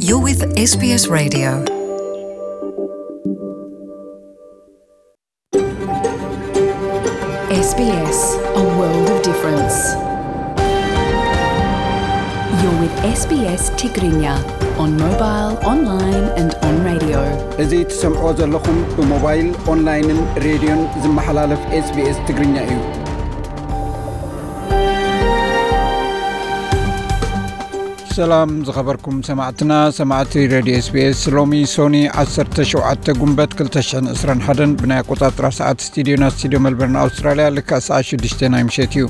You're with S B S Radio. S B S, a world of difference. You're with S B S Tigrinya on mobile, online and on radio. እዚ ትሰምዕዎ ዘለኹም ብሞባይል፣ ኦንላይንን ሬድዮን ዝመሓላለፍ S B S ትግርኛ እዩ። ሰላም ዝኸበርኩም ሰማዕትና፣ ሰማዕቲ ሬድዮ S B S፣ ሎሚ ሶኒ ዓሰርተ ሸውዓተ ጉንበት ክልተ ሽሕን ዕስራን ሓደን ብናይ ኣቆጻጽራ ሰዓት ስቱዲዮና፣ ስቱዲዮ መልበርን ኣውስትራልያ፣ ልክዕ ሰዓት ሽዱሽተ ናይ ምሸት እዩ።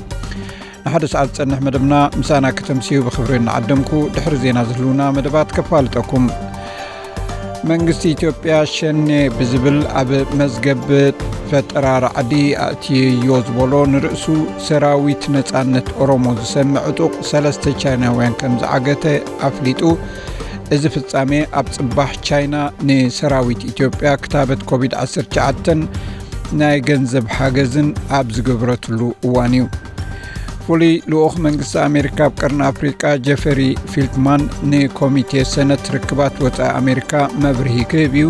ንሓደ ሰዓት ዝጸንሕ መደብና ምሳና ከተምስዩ ብኽብሪ እናዓደምኩ፣ ድሕሪ ዜና ዝህልውና መደባት ከፋልጠኩም። መንግስቲ ኢትዮጵያ ሸኔ ብዝብል ኣብ መዝገብ ፈጠራ ራዕዲ ኣእትየዮ ዝበሎ ንርእሱ ሰራዊት ነጻነት ኦሮሞ ዝሰምዕ ዕጡቕ ሰለስተ ቻይናውያን ከም ዝዓገተ ኣፍሊጡ። እዚ ፍጻሜ ኣብ ጽባሕ ቻይና ንሰራዊት ኢትዮጵያ ክታበት ኮቪድ ዓሰርተ ትሽዓተን ናይ ገንዘብ ሓገዝን ኣብ ዝገብረትሉ እዋን እዩ። ፍሉይ ልኡኽ መንግስቲ ኣሜሪካ ኣብ ቀርኒ ኣፍሪቃ ጀፈሪ ፊልትማን ንኮሚቴ ሰነት ርክባት ወጻኢ ኣሜሪካ መብርሂ ክህብ እዩ።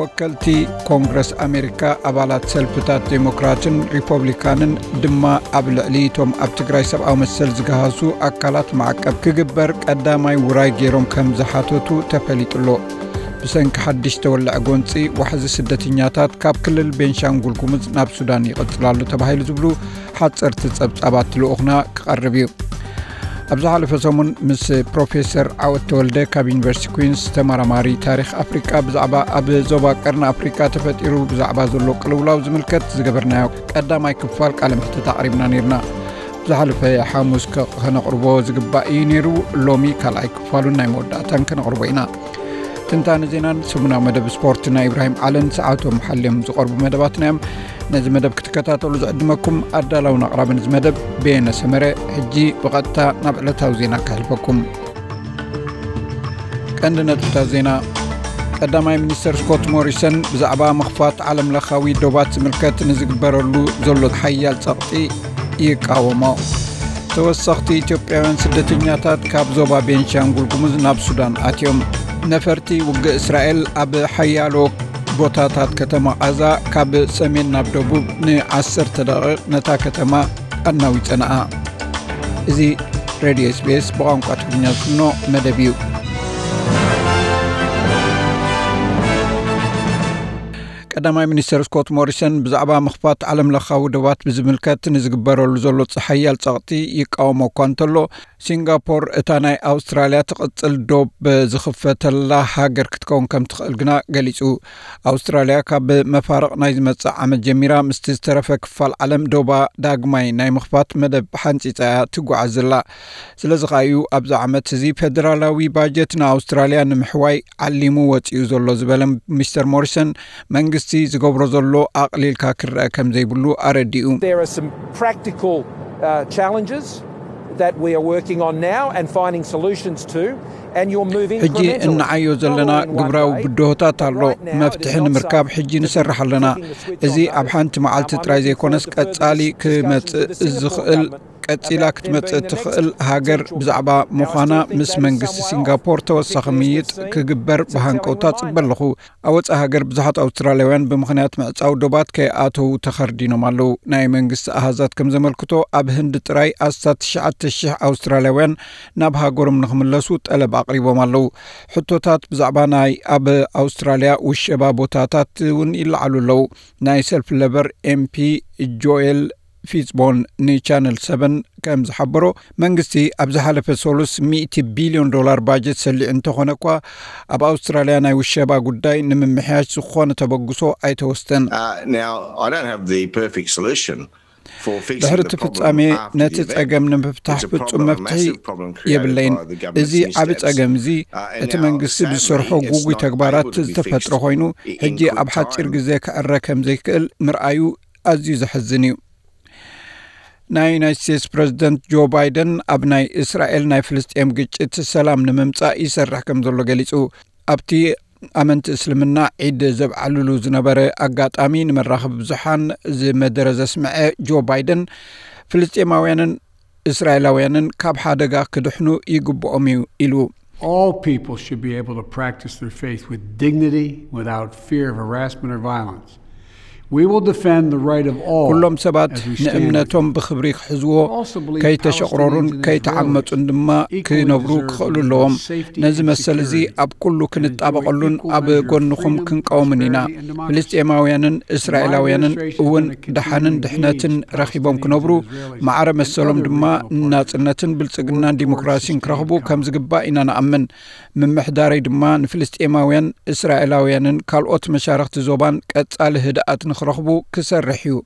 ወከልቲ ኮንግረስ ኣሜሪካ፣ ኣባላት ሰልፍታት ዴሞክራትን ሪፐብሊካንን ድማ ኣብ ልዕሊ እቶም ኣብ ትግራይ ሰብኣዊ መሰል ዝገሃሱ ኣካላት ማዕቀብ ክግበር ቀዳማይ ውራይ ገይሮም ከም ዝሓተቱ ተፈሊጡ ኣሎ። ብሰንኪ ሓድሽ ተወልዐ ጎንፂ ዋሕዚ ስደተኛታት ካብ ክልል ቤንሻንጉል ጉሙዝ ናብ ሱዳን ይቕፅል ኣሎ ተባሂሉ ዝብሉ ሓፀርቲ ፀብፃባት ልኡኽና ክቐርብ እዩ። ኣብ ዝሓለፈ ሰሙን ምስ ፕሮፌሰር ዓወት ተወልደ ካብ ዩኒቨርሲቲ ኩዊንስ ተመራማሪ ታሪኽ ኣፍሪቃ ብዛዕባ ኣብ ዞባ ቀርኒ ኣፍሪቃ ተፈጢሩ ብዛዕባ ዘሎ ቅልውላው ዝምልከት ዝገበርናዮ ቀዳማይ ክፋል ቃለ መሕትት ኣቕሪብና ነይርና። ዝሓለፈ ሓሙስ ከ-፣ ከነቕርቦ ዝግባእ እዩ ነይሩ። ሎሚ ካልኣይ ክፋሉን ናይ መወዳእታን ከነቕርቦ ኢና። ትንታነ ዜናን ሰሙናዊ መደብ ስፖርት ናይ ኢብራሂም ዓለን ሰዓቶም ሓልዮም ዝቐርቡ መደባትና እዮም። ነዚ መደብ ክትከታተሉ ዝዕድመኩም ኣዳላውን ኣቕራብን እዚ መደብ በየነ ሰመረ። ሕጂ ብቐጥታ ናብ ዕለታዊ ዜና ከሕልፈኩም። ቀንዲ ነጥብታት ዜና። ቀዳማይ ሚኒስተር ስኮት ሞሪሰን ብዛዕባ ምኽፋት ዓለምለኻዊ ዶባት ዝምልከት ንዝግበረሉ ዘሎ ሓያል ጸቕጢ ይቃወሞ። ተወሰኽቲ ኢትዮጵያውያን ስደተኛታት ካብ ዞባ ቤንሻንጉል ጉሙዝ ናብ ሱዳን ኣትዮም። ነፈርቲ ውግእ እስራኤል ኣብ ሓያሎ ቦታታት ከተማ ቓዛ ካብ ሰሜን ናብ ደቡብ ንዓሰርተ ደቂቕ ነታ ከተማ ኣናዊጸንኣ። እዚ ሬድዮ S B S ብቋንቋ ትግርኛ ዝፍኖ መደብ እዩ። ቀዳማይ ሚኒስተር ስኮት ሞሪሰን ብዛዕባ ምኽፋት ዓለምለኻዊ ዶባት ብዝምልከት ንዝግበረሉ ዘሎ ሓያል ጸቕጢ ይቃወሞ እኳ እንተሎ፣ ሲንጋፖር እታ ናይ ኣውስትራልያ ትቕጽል ዶብ ዝኽፈተላ ሃገር ክትከውን ከም ትኽእል ግና ገሊጹ። ኣውስትራልያ ካብ መፋርቕ ናይ ዝመጽእ ዓመት ጀሚራ ምስቲ ዝተረፈ ክፋል ዓለም ዶባ ዳግማይ ናይ ምኽፋት መደብ ሓንጺጻ እያ ትጓዓዝ ዘላ። ስለዚ ከኣ እዩ ኣብዚ ዓመት እዚ ፌደራላዊ ባጀት ንኣውስትራልያ ንምሕዋይ ዓሊሙ ወጺኡ ዘሎ ዝበለ ሚስተር ሞሪሰን፣ መንግስቲ ዝገብሮ ዘሎ ኣቕሊልካ ክረአ ከም ዘይብሉ ኣረዲኡ። There are some practical, uh, challenges that we are working on now and finding solutions to, and you're moving ሕጂ incrementally, እንዓዮ ዘለና not all in one ግብራዊ day, ብድሆታት but ኣሎ። Right now, it is መፍትሒ not ንምርካብ safe ሕጂ to be ንሰርሕ ኣለና። Flicking the switch እዚ on ኣብ those. ሓንቲ መዓልቲ Now, I'm ጥራይ looking ዘይኮነስ forward to further ቀጻሊ discussions ክመጽእ with the Singapore ዝኽእል፣ government. ቀጺላ ክትመጽእ ትኽእል ሃገር ብዛዕባ ምዃና ምስ መንግስቲ ሲንጋፖር ተወሳኺ ምይይጥ ክግበር ብሃንቀውታ ጽበ ኣለኹ። ኣብ ወጻኢ ሃገር ብዙሓት ኣውስትራልያውያን ብምኽንያት ምዕጻው ዶባት ከይኣተዉ ተኸርዲኖም ኣለዉ። ናይ መንግስቲ ኣሃዛት ከም ዘመልክቶ፣ ኣብ ህንዲ ጥራይ ኣስታት ትሽዓተ ሽሕ ኣውስትራልያውያን ናብ ሃገሮም ንኽምለሱ ጠለብ ኣቕሪቦም ኣለዉ። ሕቶታት ብዛዕባ ናይ ኣብ ኣውስትራልያ ውሸባ ቦታታት እውን ይለዓሉ ኣለዉ። ናይ ሰልፍ ለበር M P ጆኤል ፊትዝቦን ንቻነል ሰቨን ከም ዝሓበሮ፣ መንግስቲ ኣብ ዝሓለፈ ሰሉስ ሚእቲ ቢልዮን ዶላር ባጀት ሰሊዑ እንተኾነ እኳ፣ ኣብ ኣውስትራልያ ናይ ውሸባ ጉዳይ ንምምሕያሽ ዝኾነ ተበግሶ ኣይተወስደን። Uh, now, I don't have the perfect solution for fixing ድሕሪ the እቲ problem ፍጻሜ፣ after the ነቲ event. ጸገም ንምፍታሕ It's a ፍጹም problem, a መፍትሒ massive problem created የብለይን። By the government's እዚ ዓቢ missteps. ጸገም እዚ፣ Uh, and እቲ now, መንግስቲ sadly, ዝሰርሖ it's ጉጉይ not ተግባራት able to be ዝተፈጥረ fixed ኮይኑ፣ i-, in ሕጂ quick ኣብ ሓጺር time. ግዜ ክዕረ ከም ዘይክእል ምርኣዩ ኣዝዩ ዘሕዝን እዩ። ናይ ዩናይትድ ስቴትስ ፕረዚደንት ጆ ባይደን ኣብ ናይ እስራኤል ናይ ፍልስጤም ግጭት ሰላም ንምምጻእ ይሰርሕ ከም ዘሎ ገሊጹ። ኣብቲ ኣመንቲ እስልምና ዒድ ዘብዓልሉ ዝነበረ ኣጋጣሚ ንመራኸቢ ብዙሓን ዝመደረ ዘስምዐ ጆ ባይደን፣ ፍልስጤማውያንን እስራኤላውያንን ካብ ሓደጋ ክድሕኑ ይግብኦም እዩ ኢሉ። All people should be able to practice their faith with dignity, without fear of harassment or violence. We will defend the right of all. ኩሎም ሰባት ንእምነቶም ብኽብሪ ክሕዝዎ፣ ከይተሸቕረሩን ከይተዓመፁን ድማ ክነብሩ ክኽእሉ ኣለዎም። ነዚ መሰል እዚ ኣብ ኩሉ ክንጣበቐሉን ኣብ ጎንኹም ክንቀውምን ኢና። ፍልስጤማውያንን እስራኤላውያንን እውን ደሓንን ድሕነትን ረኺቦም ክነብሩ፣ ማዕረ መሰሎም ድማ ናጽነትን ብልጽግናን ዲሞክራሲን ክረኽቡ ከም ዝግባእ ኢና ንኣምን። ምምሕዳረይ ድማ ንፍልስጤማውያን፣ እስራኤላውያንን ካልኦት መሻርኽቲ ዞባን ቀጻሊ ህድኣት ንኽረኽቡ ክሰርሕ እዩ።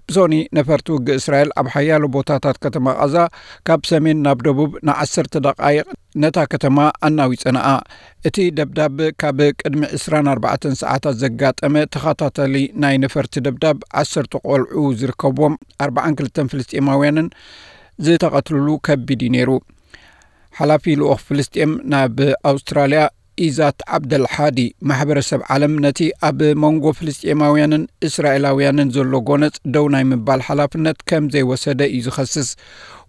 ብሶኒ ነፈርቲ ውግእ እስራኤል ኣብ ሓያሎ ቦታታት ከተማ ቓዛ ካብ ሰሜን ናብ ደቡብ ንዓሰርተ ደቓይቕ ነታ ከተማ ኣናዊጸንኣ። እቲ ደብዳብ ካብ ቅድሚ ዕስራን ኣርባዕተን ሰዓታት ዘጋጠመ ተኸታታሊ ናይ ነፈርቲ ደብዳብ ዓሰርተ ቆልዑ ዝርከብዎም ኣርባዓን ክልተን ፍልስጤማውያንን ዝተቐትልሉ ከቢድ እዩ ነይሩ። ሓላፊ ልኡኽ ፍልስጤም ናብ ኣውስትራልያ ኢዛት ዓብደልሓዲ፣ ማሕበረሰብ ዓለም ነቲ ኣብ መንጎ ፍልስጤማውያንን እስራኤላውያንን ዘሎ ጎነጽ ደው ናይ ምባል ሓላፍነት ከም ዘይወሰደ እዩ ዝኸስስ።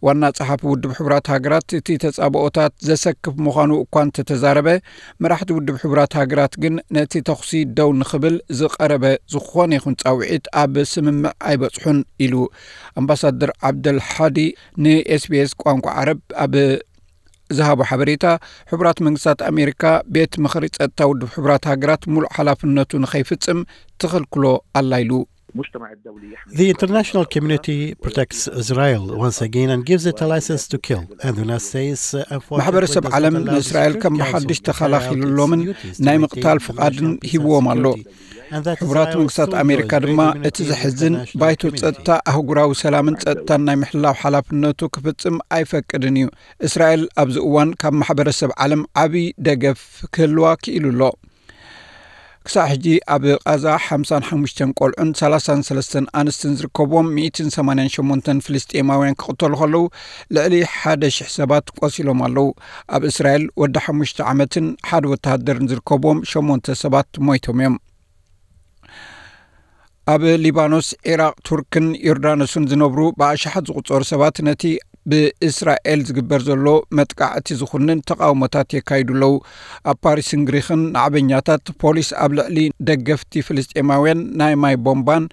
ዋና ጸሓፊ ውድብ ሕቡራት ሃገራት እቲ ተጻብኦታት ዘሰክፍ ምዃኑ እኳ እንተተዛረበ፣ መራሕቲ ውድብ ሕቡራት ሃገራት ግን ነቲ ተኹሲ ደው ንኽብል ዝቐረበ ዝኾነ ይኹን ጻውዒት ኣብ ስምምዕ ኣይበጽሑን ኢሉ። ኣምባሳደር ዓብደልሓዲ ንኤስቢኤስ ቋንቋ ዓረብ ኣብ ዝሃቦ ሓበሬታ፣ ሕቡራት መንግስታት ኣሜሪካ ቤት ምኽሪ ጸጥታ ውድብ ሕቡራት ሃገራት ሙሉእ ሓላፍነቱ ንኸይፍጽም ትኽልክሎ ኣላ ኢሉ። The international community protects Israel once again and gives it a license to kill. And the United States uh, enforces ማሕበረሰብ ዓለም ንእስራኤል ከም ብሓድሽ ተኸላኺሉሎምን ናይ ምቕታል ፍቓድን ሂብዎም ኣሎ። ሕቡራት መንግስታት ኣሜሪካ ድማ እቲ ዘሕዝን ባይቶ ጸጥታ ኣህጉራዊ ሰላምን ጸጥታን ናይ ምሕላው ሓላፍነቱ ክፍጽም ኣይፈቅድን እዩ። እስራኤል ኣብዚ እዋን ካብ ማሕበረሰብ ዓለም ዓብዪ ደገፍ ክህልዋ ክኢሉ ኣሎ። ክሳዕ ሕጂ ኣብ ቓዛ ሓምሳን ሓሙሽተን ቆልዑን ሰላሳን ሰለስተን ኣንስትን ዝርከብዎም ሚእትን ሰማንያን ሸሞንተን ፍልስጤማውያን ክቕተሉ ከለዉ፣ ልዕሊ ሓደ ሽሕ ሰባት ቆሲሎም ኣለዉ። ኣብ እስራኤል ወዲ ሓሙሽተ ዓመትን ሓደ ወተሃደርን ዝርከብዎም ሸሞንተ ሰባት ሞይቶም እዮም። ኣብ ሊባኖስ፣ ዒራቕ፣ ቱርክን ዮርዳኖስን ዝነብሩ ብኣሽሓት ዝቑጸሩ ሰባት ነቲ ብእስራኤል ዝግበር ዘሎ መጥቃዕቲ ዝኹንን ተቓውሞታት የካይዱ ኣለዉ። ኣብ ፓሪስን ግሪኽን ናዕበኛታት ፖሊስ ኣብ ልዕሊ ደገፍቲ ፍልስጤማውያን ናይ ማይ ቦምባን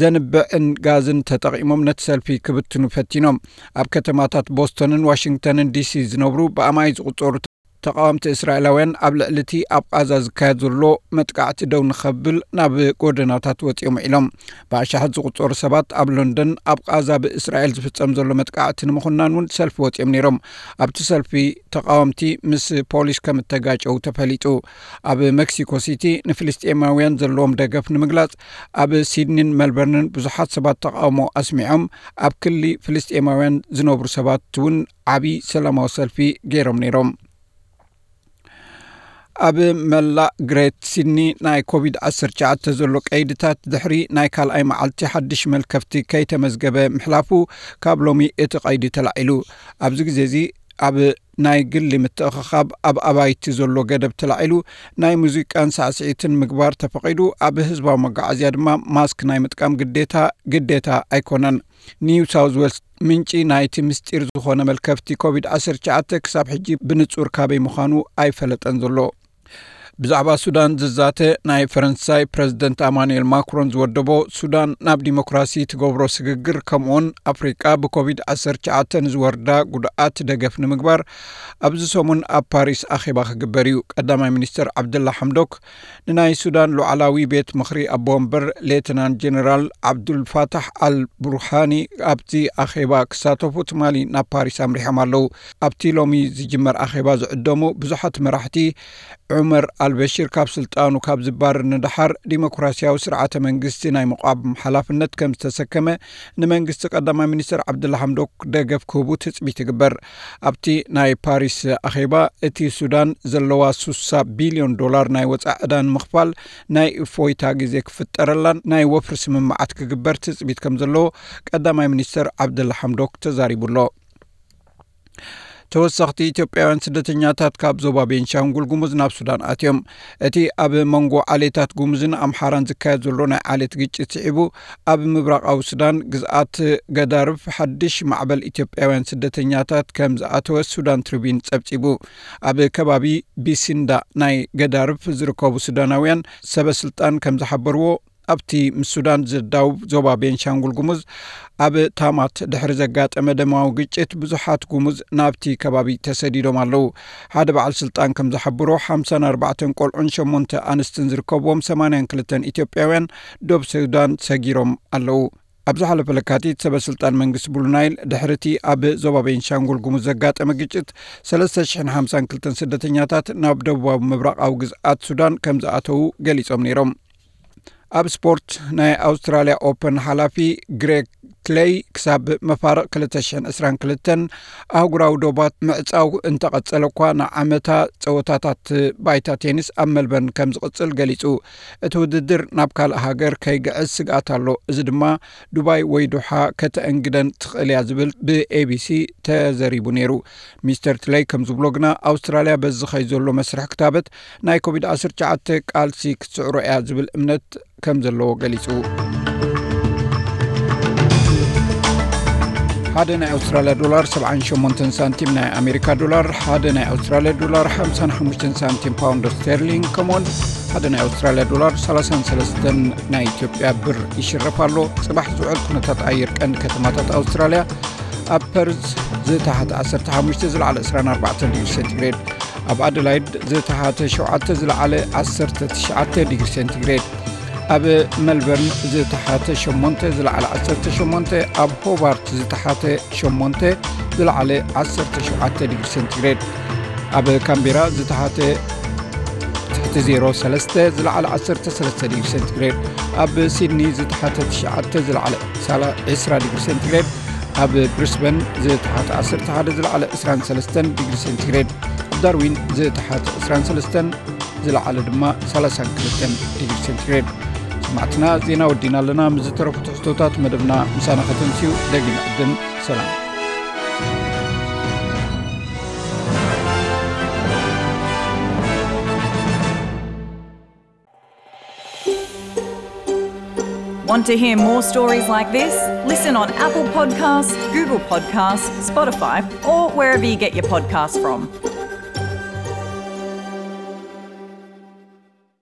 ዘንብዕን ጋዝን ተጠቒሞም ነቲ ሰልፊ ክብትኑ ፈቲኖም። ኣብ ከተማታት ቦስቶንን ዋሽንግተንን ዲሲ ዝነብሩ ብኣማይ ዝቑጸሩ ተቓወምቲ እስራኤላውያን ኣብ ልዕሊ እቲ ኣብ ቓዛ ዝካየድ ዘሎ መጥቃዕቲ ደው ንኸብል ናብ ጎደናታት ወጺኦም ውዒሎም። ብኣሽሓት ዝቑጸሩ ሰባት ኣብ ሎንደን ኣብ ቓዛ ብእስራኤል ዝፍጸም ዘሎ መጥቃዕቲ ንምኹናን እውን ሰልፊ ወጺኦም ነይሮም። ኣብቲ ሰልፊ ተቓወምቲ ምስ ፖሊስ ከም እተጋጨው ተፈሊጡ። ኣብ ሜክሲኮ ሲቲ ንፍልስጤማውያን ዘለዎም ደገፍ ንምግላጽ ኣብ ሲድኒን ሜልበርንን ብዙሓት ሰባት ተቓውሞ ኣስሚዖም። ኣብ ክሊ ፍልስጤማውያን ዝነብሩ ሰባት እውን ዓቢ ሰላማዊ ሰልፊ ገይሮም ነይሮም። ኣብ መላእ ግሬት ሲድኒ ናይ ኮቪድ ዓሰርተ ትሽዓተ ዘሎ ቀይድታት ድሕሪ ናይ ካልኣይ መዓልቲ ሓድሽ መልከፍቲ ከይተመዝገበ ምሕላፉ ካብ ሎሚ እቲ ቀይዲ ተላዒሉ። ኣብዚ ግዜ እዚ ኣብ ናይ ግሊ ምትእኽኻብ ኣብ ኣባይቲ ዘሎ ገደብ ተላዒሉ። ናይ ሙዚቃን ሳዕስዒትን ምግባር ተፈቒዱ። ኣብ ህዝባዊ መጓዓዝያ ድማ ማስክ ናይ ምጥቃም ግዴታ ግዴታ ኣይኮነን። ኒው ሳውዝ ዌልስ ምንጪ ናይቲ ምስጢር ዝኾነ መልከፍቲ ኮቪድ ዓሰርተ ትሽዓተ ክሳብ ሕጂ ብንጹር ካበይ ምዃኑ ኣይፈለጠን ዘሎ። ብዛዕባ ሱዳን ዝዛተ ናይ ፈረንሳይ ፕረዚደንት ኣማኑኤል ማክሮን ዝወደቦ ሱዳን ናብ ዲሞክራሲ ትገብሮ ስግግር ከምኡውን ኣፍሪቃ ብኮቪድ ዓሰርተ ትሽዓተ ንዝወርዳ ጉድኣት ደገፍ ንምግባር ኣብዚ ሰሙን ኣብ ፓሪስ ኣኼባ ክግበር እዩ። ቀዳማይ ሚኒስትር ዓብደላ ሓምዶክ ንናይ ሱዳን ሉዓላዊ ቤት ምኽሪ ኣቦ ወንበር ሌተናንት ጀነራል ዓብዱልፋታሕ ኣል ቡርሃኒ ኣብቲ ኣኼባ ክሳተፉ ትማሊ ናብ ፓሪስ ኣምሪሖም ኣለዉ። ኣብቲ ሎሚ ዝጅመር ኣኼባ ዝዕደሙ ብዙሓት መራሕቲ ዑመር ኣልበሽር ካብ ስልጣኑ ካብ ዝባረር ንደሓር ዲሞክራሲያዊ ስርዓተ መንግስቲ ናይ ምቋም ሓላፍነት ከም ዝተሰከመ ንመንግስቲ ቀዳማይ ሚኒስትር ዓብደላ ሓምዶክ ደገፍ ክህቡ ትጽቢት ይግበር። ኣብቲ ናይ ፓሪስ ኣኼባ እቲ ሱዳን ዘለዋ ስሳ ቢልዮን ዶላር ናይ ወጻኢ ዕዳ ንምኽፋል ናይ እፎይታ ግዜ ክፍጠረላን ናይ ወፍሪ ስምምዓት ክግበር ትጽቢት ከም ዘለዎ ቀዳማይ ሚኒስትር ዓብደላ ሓምዶክ ተዛሪቡ ኣሎ። ተወሰኽቲ ኢትዮጵያውያን ስደተኛታት ካብ ዞባ ቤንሻንጉል ጉሙዝ ናብ ሱዳን ኣትዮም። እቲ ኣብ መንጎ ዓሌታት ጉሙዝን ኣምሓራን ዝካየድ ዘሎ ናይ ዓሌት ግጭት ስዒቡ፣ ኣብ ምብራቓዊ ሱዳን ግዝኣት ገዳርፍ ሓድሽ ማዕበል ኢትዮጵያውያን ስደተኛታት ከም ዝኣተወ ሱዳን ትሪቢን ጸብጺቡ። ኣብ ከባቢ ቢሲንዳ ናይ ገዳርፍ ዝርከቡ ሱዳናውያን ሰበ ስልጣን ከም ዝሓበርዎ፣ ኣብቲ ምስ ሱዳን ዝዳውብ ዞባ ቤንሻንጉል ጉሙዝ ኣብ ታማት ድሕሪ ዘጋጠመ ደማዊ ግጭት ብዙሓት ጉሙዝ ናብቲ ከባቢ ተሰዲዶም ኣለዉ። ሓደ በዓል ስልጣን ከም ዝሓብሮ ሓምሳን ኣርባዕተን ቆልዑን ሸሞንተ ኣንስትን ዝርከብዎም ሰማንያን ክልተን ኢትዮጵያውያን ዶብ ሱዳን ሰጊሮም ኣለዉ። ኣብ ዝሓለፈ ለካቲት ሰበ ስልጣን መንግስቲ ብሉ ናይል ድሕሪ እቲ ኣብ ዞባ ቤንሻንጉል ጉሙዝ ዘጋጠመ ግጭት ሰለስተ ሽሕን ሓምሳን ክልተን ስደተኛታት ናብ ደቡባዊ ምብራቓዊ ግዝኣት ሱዳን ከም ዝኣተዉ ገሊጾም ነይሮም። ኣብ ስፖርት፣ ናይ ኣውስትራልያ ኦፐን ሓላፊ ግሬግ ትለይ ክሳብ መፋርቕ ክልተ ሽሕን ዕስራን ክልተን ኣህጉራዊ ዶባት ምዕጻው እንተቐጸለ እኳ፣ ንዓመታ ጸወታታት ባይታ ቴኒስ ኣብ መልበርን ከም ዝቕጽል ገሊጹ። እቲ ውድድር ናብ ካልእ ሃገር ከይግዕዝ ስግኣት ኣሎ። እዚ ድማ ዱባይ ወይ ዶሓ ከተእንግደን ትኽእል እያ ዝብል ብኤቢሲ ተዘሪቡ ነይሩ። ሚስተር ትለይ ከም ዝብሎ ግና፣ ኣውስትራልያ በዚ ዝኸይድ ዘሎ መስርሕ ክታበት ናይ ኮቪድ ዓሰርተ ትሽዓተ ቃልሲ ክትስዕሮ እያ ዝብል እምነት ከም ዘለዎ ገሊጹ። ሓደ ናይ ኣውስትራልያ ዶላር ሰብዓን ሸሞንተን ሳንቲም ናይ ኣሜሪካ ዶላር፣ ሓደ ናይ ኣውስትራልያ ዶላር ሓምሳን ሓሙሽተን ሳንቲም ፓውንድ ስተርሊንግ፣ ከምኡውን ሓደ ናይ ኣውስትራልያ ዶላር ሰላሳን ሰለስተን ናይ ኢትዮጵያ ብር ይሽረፍ ኣሎ። ጽባሕ ዝውዕል ኩነታት ኣየር ቀንዲ ከተማታት ኣውስትራልያ፣ ኣብ ፐርዝ ዝተሓተ ዓሰርተ ሓሙሽተ ዝለዓለ ዕስራን ኣርባዕተን ዲግሪ ሴንቲግሬድ፣ ኣብ ኣደላይድ ዝተሓተ ሸውዓተ ዝለዓለ ዓሰርተ ትሽዓተ ዲግሪ ሴንቲግሬድ፣ ኣብ መልበርን ዝተሓተ ሸሞንተ ዝለዓለ ዓሰርተ ሸሞንተ፣ ኣብ ሆባርት ዝተሓተ ሸሞንተ ዝለዓለ ዓሰርተ ሸውዓተ ዲግሪ ሴንቲግሬድ፣ ኣብ ካምቤራ ዝተሓተ ትሕቲ ዜሮ ሰለስተ ዝለዓለ ዓሰርተ ሰለስተ ዲግሪ ሴንቲግሬድ፣ ኣብ ሲድኒ ዝተሓተ ትሽዓተ ዝለዓለ ሳላ- ዕስራ ዲግሪ ሴንቲግሬድ፣ ኣብ ብሪስበን ዝተሓተ ዓሰርተ ሓደ ዝለዓለ ዕስራን ሰለስተን ዲግሪ ሴንቲግሬድ፣ ኣብ ዳርዊን ዝተሓተ ዕስራን ሰለስተን ዝለዓለ ድማ ሰላሳን ክልተን ዲግሪ ሴንቲግሬድ። ሰማዕትና፣ ዜና ወዲና ኣለና። ምስ ዝተረፉ ትሕዝቶታት መደብና ምሳና ከተምስዩ ደጊም ዕድም። ሰላም። Want to hear more stories like this? Listen on Apple Podcasts, Google Podcasts, Spotify, or wherever you get your podcasts from.